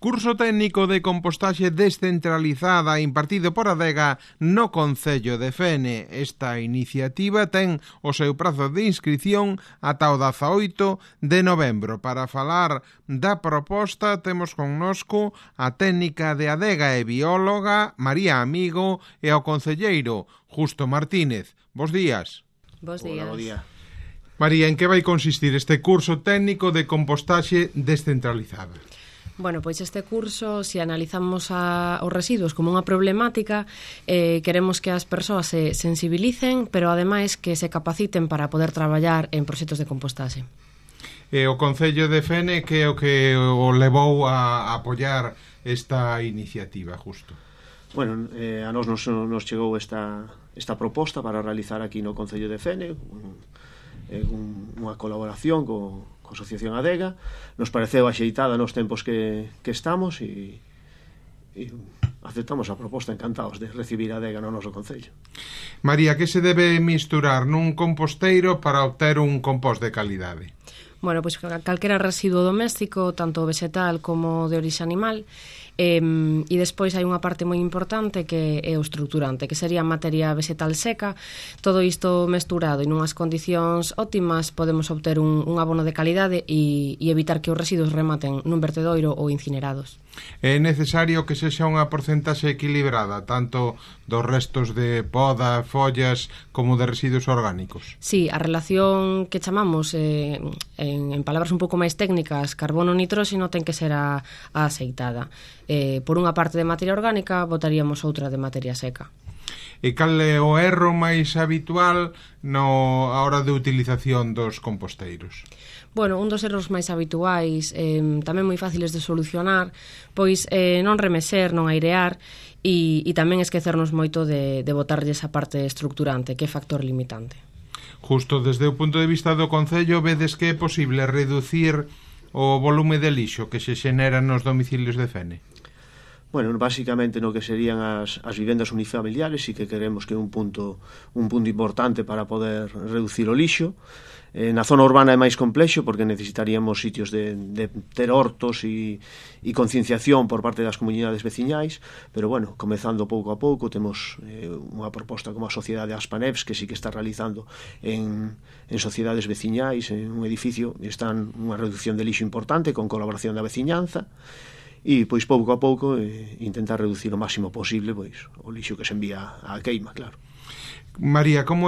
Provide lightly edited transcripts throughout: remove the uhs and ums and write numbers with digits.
Curso técnico de compostaxe descentralizada impartido por Adega no Concello de Fene. Esta iniciativa ten o seu prazo de inscrición ata o 18 de novembro. Para falar da proposta temos connosco a técnica de Adega e bióloga María Amigo e ao concelleiro Justo Martínez. Bos días. Bos días. Hola, bo día. María, en que vai consistir este curso técnico de compostaxe descentralizada? Bueno, pois este curso, se analizamos os residuos como unha problemática, queremos que as persoas se sensibilicen, pero ademais que se capaciten para poder traballar en proxectos de compostaxe. O Concello de Fene, que é o que o levou a apoiar esta iniciativa, Justo? Bueno, a nos chegou esta proposta para realizar aquí no Concello de Fene, unha colaboración co Asociación Adega. Nos pareceu axeitada nos tempos que estamos e aceptamos a proposta, encantados de recibir a Adega no noso Concello. María, que se debe misturar nun composteiro para obter un compost de calidade? Bueno, pois calquera residuo doméstico, tanto vegetal como de orixe animal, e despois hai unha parte moi importante que é o estruturante, que sería materia vegetal seca. Todo isto mesturado en unhas condicións óptimas podemos obter un abono de calidade e evitar que os residuos rematen nun vertedoiro ou incinerados. É necesario que sexa unha porcentaxe equilibrada, tanto dos restos de poda, follas, como de residuos orgánicos? Sí, a relación que chamamos, en palabras un pouco máis técnicas, carbono-nitróxeno, ten que ser a aceitada. Por unha parte de materia orgánica, botaríamos outra de materia seca. E cal é o erro máis habitual a hora de utilización dos composteiros? Bueno, un dos erros máis habituais, tamén moi fáciles de solucionar, pois non remexer, non airear e tamén esquecernos moito de botarlle esa parte estructurante, que é factor limitante. Justo desde o punto de vista do Concello, vedes que é posible reducir o volume de lixo que se xenera nos domicilios de Fene? Bueno, basicamente no que serían as vivendas unifamiliares, sí que queremos que é un punto importante para poder reducir o lixo. Na zona urbana é máis complexo porque necesitaríamos sitios de ter hortos e concienciación por parte das comunidades veciñais, pero bueno, comezando pouco a pouco, temos unha proposta como a Sociedade Aspaneps, que sí que está realizando en sociedades veciñais, en un edificio, están unha reducción de lixo importante con colaboración da veciñanza, e pois pouco a pouco intentar reducir o máximo posible pois o lixo que se envía á queima, claro. María, como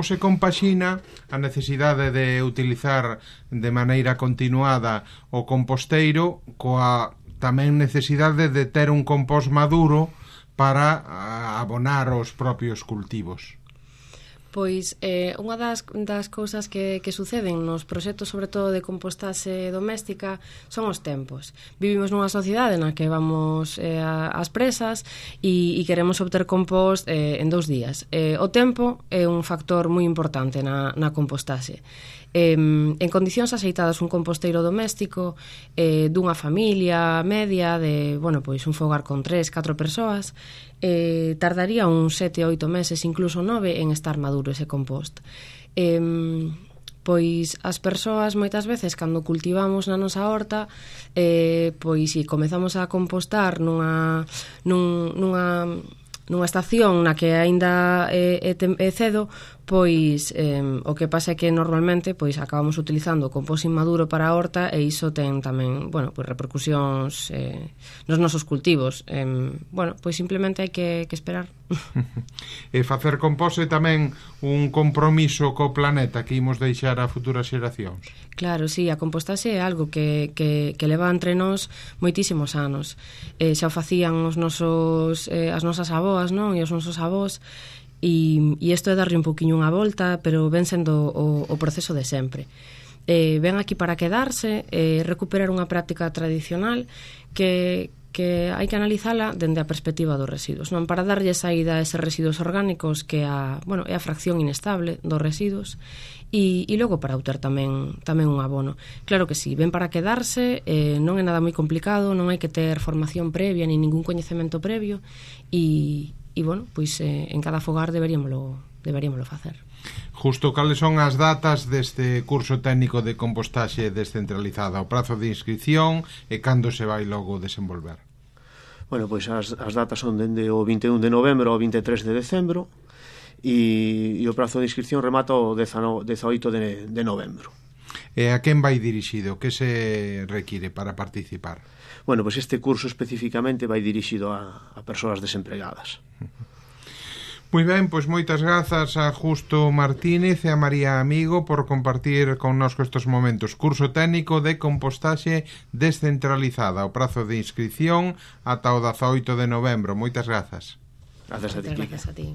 se compaxina a necesidade de utilizar de maneira continuada o composteiro coa tamén necesidade de ter un compost maduro para abonar os propios cultivos? Pois unha das cousas que suceden nos proxectos, sobre todo de compostaxe doméstica, son os tempos. Vivimos nunha sociedade na que vamos ás presas e queremos obter compost en 2 días. O tempo é un factor moi importante na compostaxe. En condicións axeitadas, un composteiro doméstico dunha familia media de, bueno, pois un fogar con 3-4 persoas, tardaría uns 7-8 meses, incluso 9, en estar maduro ese compost. Pois as persoas moitas veces cando cultivamos na nosa horta, pois se comezamos a compostar nunha estación na que aínda é cedo, pois o que pasa é que normalmente pois acabamos utilizando o compost inmaduro para a horta e iso ten tamén, bueno, pois repercusións nos nosos cultivos. Bueno, pois simplemente hai que esperar. E facer compost é tamén un compromiso co planeta que imos deixar a futuras xeracións. Claro, sí, a compostaxe é algo que leva entre nós moitísimos anos. Xa o facían as nosas avoas, non? E os nosos avós. E isto é darlle un poquinho unha volta, pero ven sendo o proceso de sempre. Ven aquí para quedarse, recuperar unha práctica tradicional que hai que analizala dende a perspectiva dos residuos, non para darlle saída a eses residuos orgánicos que é a fracción inestable dos residuos e logo para obter tamén un abono. Claro que sí, ven para quedarse, non é nada moi complicado, non hai que ter formación previa ni ningún coñecemento previo e bueno, pois en cada fogar deberíamoslo facer. Justo, cales son as datas deste curso técnico de compostaxe descentralizada, o prazo de inscripción e cando se vai logo desenvolver? Bueno, pois as datas son dende o 21 de novembro ao 23 de decembro e o prazo de inscripción remata o 18 de novembro. E a quen vai dirixido? Que se require para participar? Bueno, pois este curso especificamente vai dirixido a persoas desempregadas. Moi ben, pois moitas grazas a Justo Martínez e a María Amigo por compartir connosco estes momentos. Curso técnico de compostaxe descentralizada. O prazo de inscripción ata o 18 de novembro. Moitas grazas. Grazas a ti. Gracias a ti.